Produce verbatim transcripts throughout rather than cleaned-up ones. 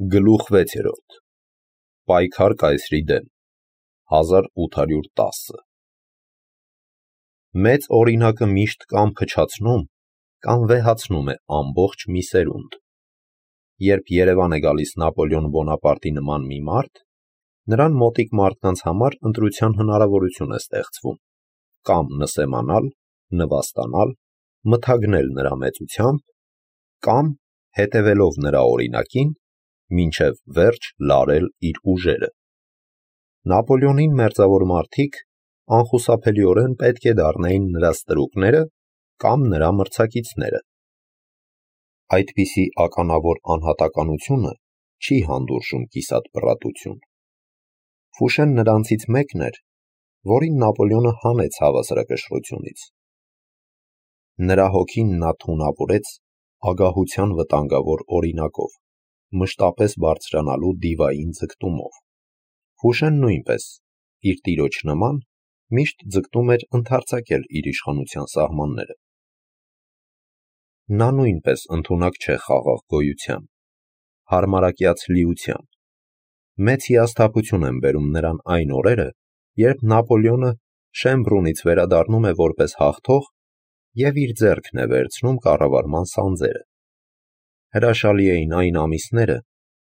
Գլուխ վեցերորդ. Պայքար կայսրի դեմ, հազար ութ հարյուր տասը Մեծ օրինակը միշտ կամ փչացնում, կամ վեհացնում է ամբողջ մի սերունդ։ Երբ Երևան է գալիս Նապոլեոն Բոնապարտի նման մի մարդ, նրան մոտիկ մարդկանց համար ընտրության հնարավորություն է ստեղծվում, կամ նսեմանալ, նվաստանալ, մթագնել նրա մեծությամբ, կամ, հետևելով նրա օրինակին, մինչև վերջ լարել իր ուժերը։ Նապոլեոնին մերձավոր մարդիկ անխուսափելիորեն պետք է դառնային նրա ստրուկները կամ նրա մրցակիցները։ Այդպիսի ականավոր անհատականությունը չի հանդուրժում կիսատ պռատություն։ Ֆուշեն նրանցից մեկն էր, որին Նապոլեոնը հանեց հավասարակշռությունից։ Նրա հոգին նա թունավորեց ագահության վտանգավոր օրինակով, մշտապես բարձրանալու դիվային ձգտումով։ Ֆուշեն նույնպես, իր տիրոջ նման, միշտ ձգտում էր ընդարձակել իր իշխանության սահմանները։ Նա նույնպես ընդունակ չէ խաղաղ գոյության, հարմարակյաց լիության։ Մեծ հիասթափություն են բերում նրան այն օրերը, երբ Նապոլեոնը Շեմբրունից վերադառնում է որպես հաղթող և իր ձեռքն է վերցնում կառավարման սանձերը։ Հրաշալի էին այն ամիսները,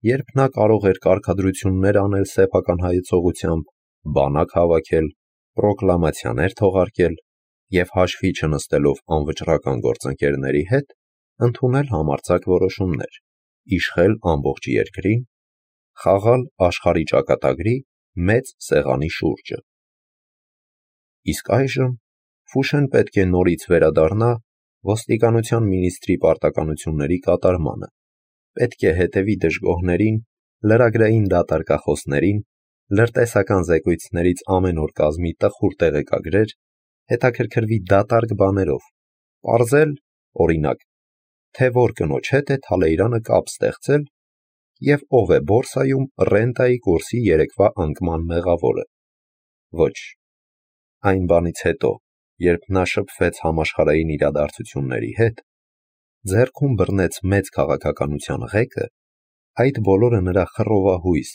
երբ նա կարող էր կարգադրություններ անել սեփական հայեցողությամբ, բանակ հավաքել, պրոկլամացիաներ թողարկել և հաշվի չնստելով անվճռական գործընկերների հետ, ընդունել համարձակ որոշումներ, իշխել ամբողջ երկրին, խաղալ աշխարհի ճակատագրի մեծ սեղանի շուրջը։ Իսկ այժմ Ֆուշեն պետք է նորից վերադառնա ոստիկանության մինիստրի պարտականությունների կատարմանը, պետք է հետևի դժգոհներին, լրագրային դատարկախոսներին, լրտեսական զեկույցներից ամեն օր կազմի տխուր տեղեկագրեր, հետաքրքրվի դատարկ բաներով, պարզել, օրինակ, թե որ կնոջ հետ է Թալեյրանը կապ ստեղծել և ով է բորսայում ռենտայի կուրսի երեկվա անկման մեղավորը։ Ոչ, այն բանից հետո, երբ նա շփվեց համաշխարհային իրադարձությունների հետ, ձեռքում բռնեց մեծ քաղաքականության ղեկը, այդ բոլորը նրա խռովահույս,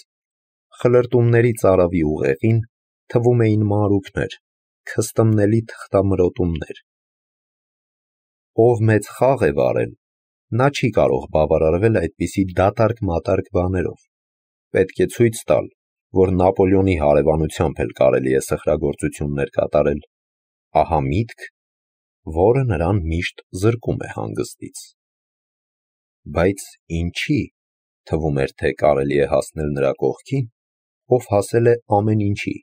խլրտումների ծարավի ուղեղին թվում էին մանրուքներ, քստմնելի թղթամրոտումներ։ Ով մեծ խաղ է վարել, նա չի կարող բավարարվել այդպիսի դատարկ-մատարկ բաներով, պետք է ցույց տալ, որ Նապոլեոնի հարևանությամբ էլ կարելի է սխրագործություններ կատարել, ահա միտք, որը նրան միշտ զրկում է հանգստից։ Բայց ինչի՞ թվում էր, թե կարելի է հասնել նրա կողքին, ով հասել է ամեն ինչի,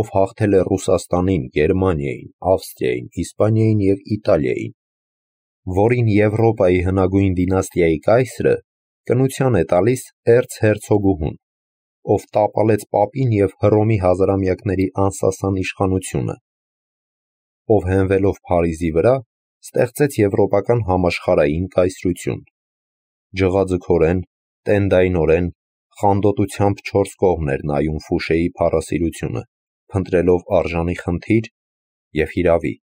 ով հաղթել է Ռուսաստանին, Գերմանիային, Ավստրիային, Իսպանիային և Իտալիային, որին Եվրոպայի հնագույն դինաստիայի կայսրը կնության է տալիս էրցհերցոգուհուն, ով տապալեց պապին և Հռոմի հազարամյակների անսասան իշխանությունը, ով հենվելով Փարիզի վրա ստեղծեց եվրոպական համաշխարհային կայսրություն, ջղաձգորեն, տենդայնորեն, խանդոտությամբ չորս կողմ էր նայում Ֆուշեի փառասիրությունը, փնտրելով արժանի խնդիր և հիրավի,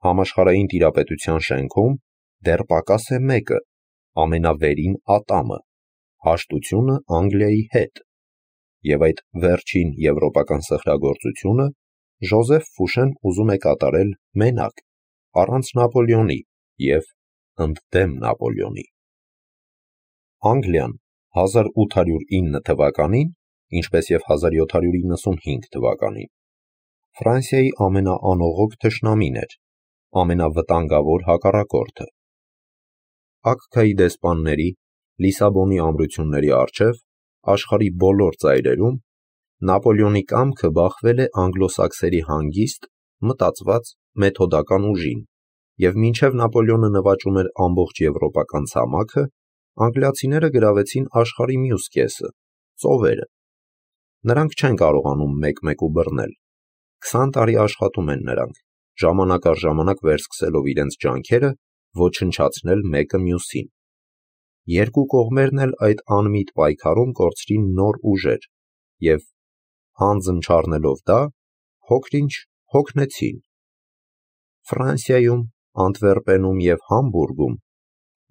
համաշխարհային տիրապետության շենքում դեռ պակաս է մեկը, ամենավերին ատամը, հաշտությունը Անգլիայի հետ, և այդ վերջին եվրոպական սխրագործությունը Ժոզեֆ Ֆուշեն ուզում է կատարել մենակ, առանց Նապոլեոնի և ընդդեմ Նապոլեոնի։ Անգլիան հազար ութ հարյուր ինը թվականին, ինչպես և հազար յոթ հարյուր իննսունհինգ թվականին, Ֆրանսիայի ամենաանողոք թշնամին էր, ամենավտանգավոր հակառակորդը։ Ակքայի դեսպանների, Լիսաբոնի ամրությունների առջև, աշխարհի բոլոր ծայրերում, Նապոլեոնի կամքը բախվել է անգլոսաքսերի հանգիստ, մտածված, մեթոդական ուժին, և մինչև Նապոլեոնը նվաճում էր ամբողջ եվրոպական ցամաքը, անգլիացիները գրավեցին աշխարհի մյուս կեսը՝ ծովերը։ Նրանք չեն կարողանում մեկ-մեկու բռնել։ Քսան տարի աշխատում են նրանք, ժամանակ առ ժամանակ վերսկսելով իրենց ջանքերը, ոչնչացնել մեկը մյուսին։ Երկու կողմերն էլ այդ անմիտ պայքարում կորցրին նոր ուժեր և, հանձն չառնելով դա, փոքր-ինչ հոգնեցին։ Ֆրանսիայում, Անտվերպենում և Համբուրգում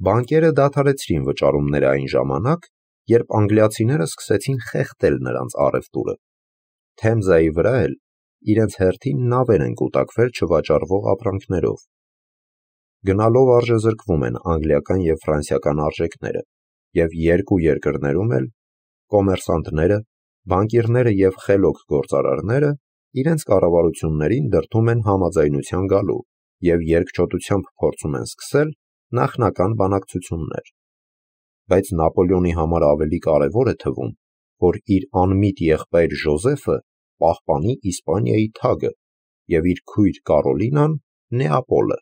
բանկերը դադարեցրին վճարումները այն ժամանակ, երբ անգլիացիները սկսեցին խեղդել նրանց առևտուրը։ Թեմզայի վրա էլ իրենց հերթին նավեր են կուտակվել չվաճառվող ապրանքներով։ Գնալով արժեզրկվում են անգլիական և ֆրանսիական արժեքները, և երկու երկրներում էլ կոմերսանտները, բանկիրները և խելոք գործարարները իրենց կառավարություններին դրդում են համաձայնության գալու և երկչոտությամբ փորձում են սկսել նախնական բանակցություններ։ Բայց Նապոլեոնի համար ավելի կարևոր է թվում, որ իր անմիտ եղբայր Ժոզեֆը պահպանի Իսպանիայի թագը և իր քույր Կարոլինան՝ Նեապոլը։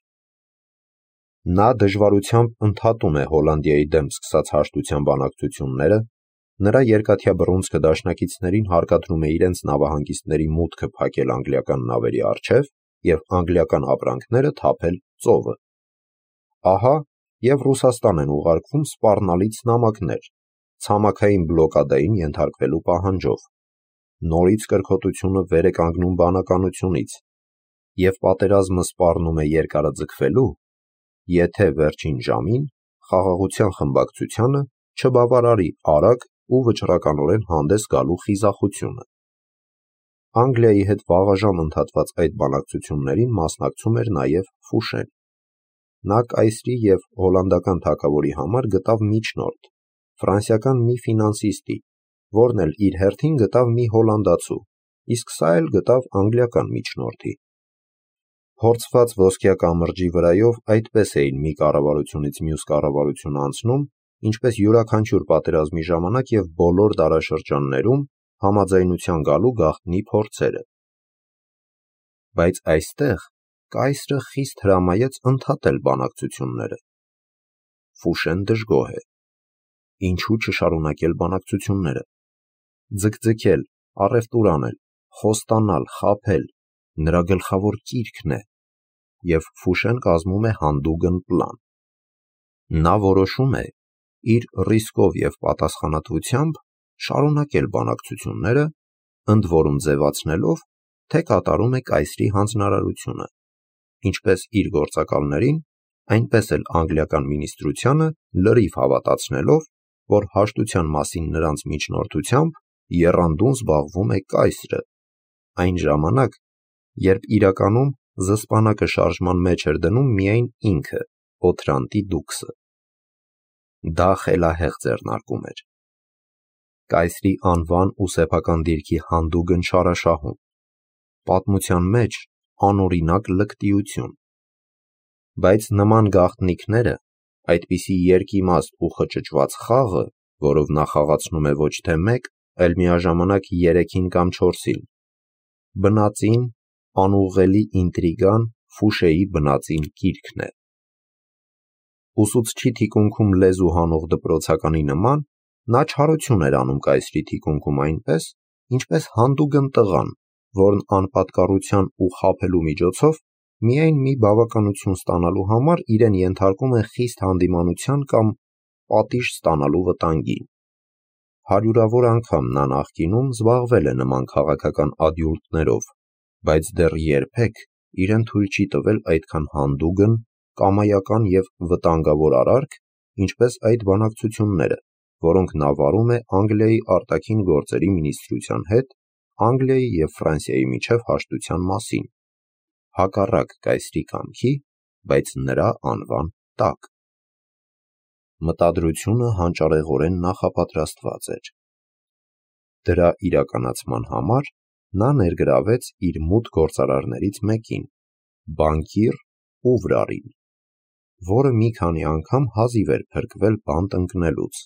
Նա դժվարությամբ ընդհատում է Հոլանդիայի դեմ սկսած հաշտության բանակցությունները, նրա երկաթյա բռունցքը դաշնակիցներին հարկադրում է իրենց նավահանգիստների մուտքը փակել անգլիական նավերի առջև և անգլիական ապրանքները թափել ծովը։ Ահա և Ռուսաստան են ուղարկվում սպառնալից նամակներ, ցամաքային բլոկադային ենթարկվելու պահանջով։ Նորից կրքոտությունը վեր է կանգնում բանականությունից, և պատերազմը սպառնում է երկարաձգվելու, եթե վերջին ժամին խաղաղության խմբակցությանը չբավարարի արագ ու վճռականորեն հանդես գալու խիզախությունը։ Անգլիայի հետ վաղաժամ ընդհատված այդ բանակցություններին մասնակցում էր նաև Ֆուշեն։ Նա կայսրի և հոլանդական թագավորի համար գտավ միջնորդ, ֆրանսիական մի ֆինանսիստի, որն էլ իր հերթին գտավ մի հոլանդացու, իսկ սա էլ գտավ անգլիական միջնորդի։ Փորձված ոսկյա կամրջի վրայով այդպես էին մի կառավարությունից մյուս կառավարություն անցնում, ինչպես յուրաքանչյուր պատերազմի ժամանակ և բոլոր դարաշրջաններում համաձայնության գալու գաղտնի փորձերը։ Բայց այստեղ կայսրը խիստ հրամայեց ընդհատել բանակցությունները։ Ֆուշեն դժգոհ է։ Ինչու չշարունակել բանակցությունները։ Ձգձգել, առևտուր անել, խոստանալ, խաբել նրա գլխավոր կիրքն է, և Ֆուշեն կազմում է հանդուգն պլան։ Նա որոշում է իր ռիսկով և պատասխանատվությամբ շարունակել բանակցությունները, ընդ որում ձևացնելով, թե կատարում է կայսրի հանձնարարությունը, ինչպես իր գործակալներին, այնպես էլ անգլիական մինիստրությանը լրիվ հավատացնելով, որ հաշտության մասին նրանց միջնորդությամբ եռանդուն զբաղվում է կայսրը, այն ժամանակ, երբ իրականում զսպանակը շարժման մեջ էր դնում միայն ինքը՝ Օթրանտի դուքսը։ Դա խելահեղ ձեռնարկում էր։ Կայսրի անվան ու սեփական դիրքի հանդուգն չարաշահում, պատմության մեջ անօրինակ լկտիություն։ Բայց նման գաղտնիքները, այդպիսի երկիմաստ ու խճճված խաղը, որով նա խաղացնում է ոչ թե մեկ, այլ միաժամանակ երեքին կամ չորսին, բնածին, անուղղելի ինտրիգան Ֆուշեի բնածին կիրքն է։ Ուսուցչի թիկունքում լեզու հանող դպրոցականի նման, նա չարություն էր անում կայսրի թիկունքում այնպես, ինչպես հանդուգն տղան, որն անպատկառության ու խաբելու միջոցով միայն մի բավականություն ստանալու համար իրեն ենթարկում է խիստ հանդիմանության կամ պատիժ ստանալու վտանգին։ Հարյուրավոր անգամ նա նախկինում զբաղվել է նման քաղաքական ադյունկտներով, բայց դեռ երբեք իրեն թույլ չի տվել այդքան հանդուգն, կամայական և վտանգավոր արարք, ինչպես այդ բանակցությունները, որոնք նա վարում է Անգլիայի արտաքին գործերի մինիստրության հետ Անգլիայի և Ֆրանսիայի միջև հաշտության մասին, հակառակ կայսրի կամքի, բայց նրա անվան տակ։ Մտադրությունը հանճարեղորեն նախապատրաստված էր։ Դրա իրականացման համար նա ներգրավեց իր մուտ գործարարներից մեկին՝ բանկիր Ուվրարին, որը մի քանի անգամ հազիվ էր փրկվել բանտ ընկնելուց։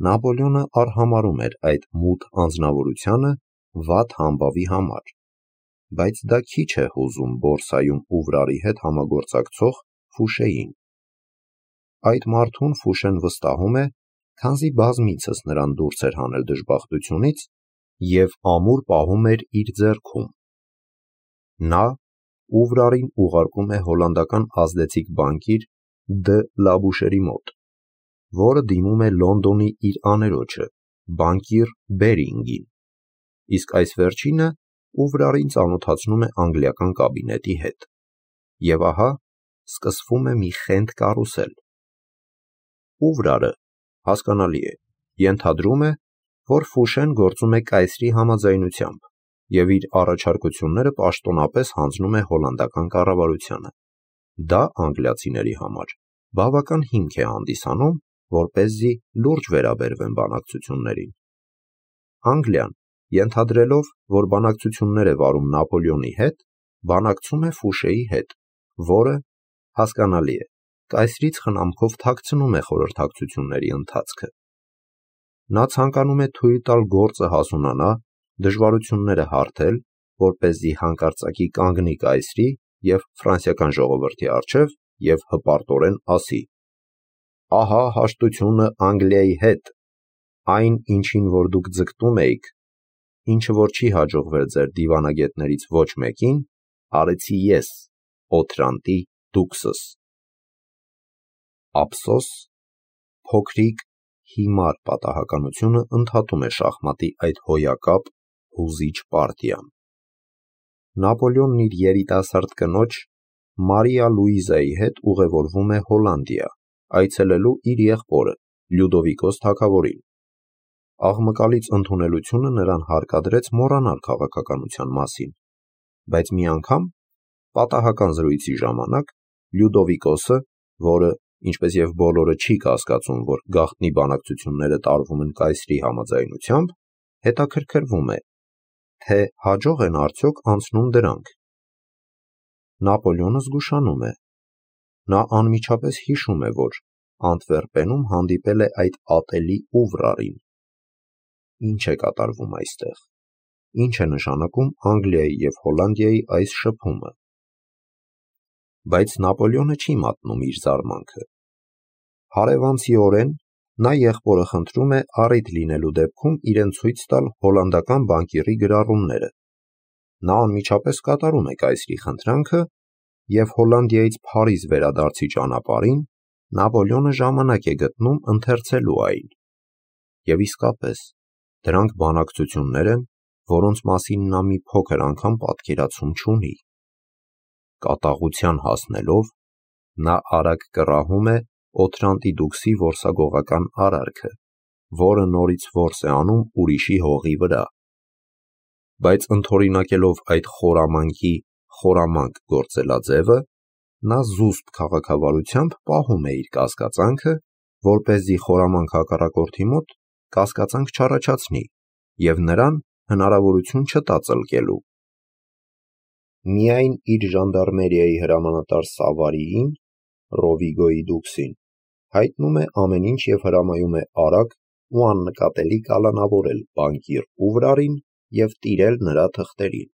Նապոլեոնը արհամարհում էր այդ մութ անձնավորությանը վատ համբավի համար, բայց դա քիչ է հուզում բորսայում Ուվրարի հետ համագործակցող Ֆուշեին։ Այդ մարդուն Ֆուշեն վստահում է, քանզի բազմիցս նրան դուրս էր հանել դժբախտությունից և ամուր պահում էր իր ձեռքում։ Նա Ուվրարին ուղարկում է հոլանդական ազդեցիկ բանկիր Դ. Լաբուշերի մոտ, որը դիմում է Լոնդոնի իր աներոջը՝ բանկիր Բերինգին, իսկ այս վերջինը Ուվրարին ծանոթացնում է անգլիական կաբինետի հետ։ Եվ ահա սկսվում է մի խենթ կարուսել։ Ուվրարը, հասկանալի է, ենթադրում է, որ Ֆուշեն գործում է կայսրի համաձայնությամբ և իր առաջարկությունները պաշտոնապես հանձնում է հոլանդական կառավարությանը։ Դա անգլիացիների համար բավական հիմք է հանդիսանում, որպեսզի լուրջ վերաբերվեն բանակցություններին։ Անգլիան, ենթադրելով, որ բանակցություններ է վարում Նապոլեոնի հետ, բանակցում է Ֆուշեի հետ, որը, հասկանալի է, կայսրից խնամքով թաքցնում է խորհրդակցությունների ընթացքը։ Նա ցանկանում է թույլ տալ գործը հասունանա, դժվարությունները հարթել, որպեսզի հանկարծակի կանգնի կայսրի և ֆրանսիական ժողովրդի առջև և հպարտորեն ասի. «Ահա հաշտությունը Անգլիայի հետ, այն, ինչին որ դուք ձգտում էիք, ինչը որ չի հաջողվել ձեր դիվանագետներից ոչ մեկին, արեցի ես, Օթրանտի դուքսս»։ Ափսոս, փոքրիկ, հիմար պատահականությունը ընդհատում է շախմատի այդ հոյակապ, հուզիչ պարտիան։ Նապոլեոնն իր երիտասարդ կնոջ՝ Մարիա Լուիզայի հետ ուղևորվում է Հոլանդիա, այցելելու իր եղբորը՝ Լյուդովիկոս թագավորին։ Աղմկալից ընդունելությունը նրան հարկադրեց մոռանալ քաղաքականության մասին, բայց մի անգամ, պատահական զրույցի ժամանակ, Լյուդովիկոսը, որը, ինչպես և բոլորը, չի կասկածում, որ գաղտնի բանակցությունները տարվում են կայսրի համաձայնությամբ, հետաքրքրվում է, թե հաջող են արդյոք անցնում դրանք։ Նապոլեոնը զգուշանում է։ Նա անմիջապես հիշում է, որ Անտվերպենում հանդիպել է այդ ատելի Ուվրարին։ Ինչ է կատարվում այստեղ։ Ինչ է նշանակում Անգլիայի և Հոլանդիայի այս շփումը։ Բայց Նապոլեոնը չի մատնում իր զարմանքը։ Հարևանցիորեն նա եղբորը խնդրում է առիթ լինելու դեպքում իրեն ցույց տալ հոլանդական բանկիրի գրառումները։ Նա անմիջապես կատարում է կայսրի խնդրանքը, և Հոլանդիայից Փարիզ վերադարձի ճանապարհին Նապոլեոնը ժամանակ է գտնում ընթերցելու այն։ Եվ իսկապես, դրանք բանակցություններ են, որոնց մասին նա մի փոքր անգամ պատկերացում չունի։ Կատաղության հասնելով, նա արագ կռահում է Օթրանտի դուքսի որսագողական արարքը, որը նորից որս է անում ուրիշի հողի վրա։ Բայց ընդօրինակելով այդ խորամանկի խորամանկ գործելաձևը, նա զուսպ քաղաքավարությամբ պահում է իր կասկածանքը, որպեսզի խորամանկ հակառակորդի մոտ կասկածանք չառաջացնի և նրան հնարավորություն չտա ծլկելու։ Միայն իր ժանդարմերիայի հրամանատար Սավարիին, Ռովիգոյի դուքսին, հայտնում է ամեն ինչ և հրամայում է արագ ու աննկատելի կալանավորել բանկիր Ուվրարին և տիրել նրա թղթերին։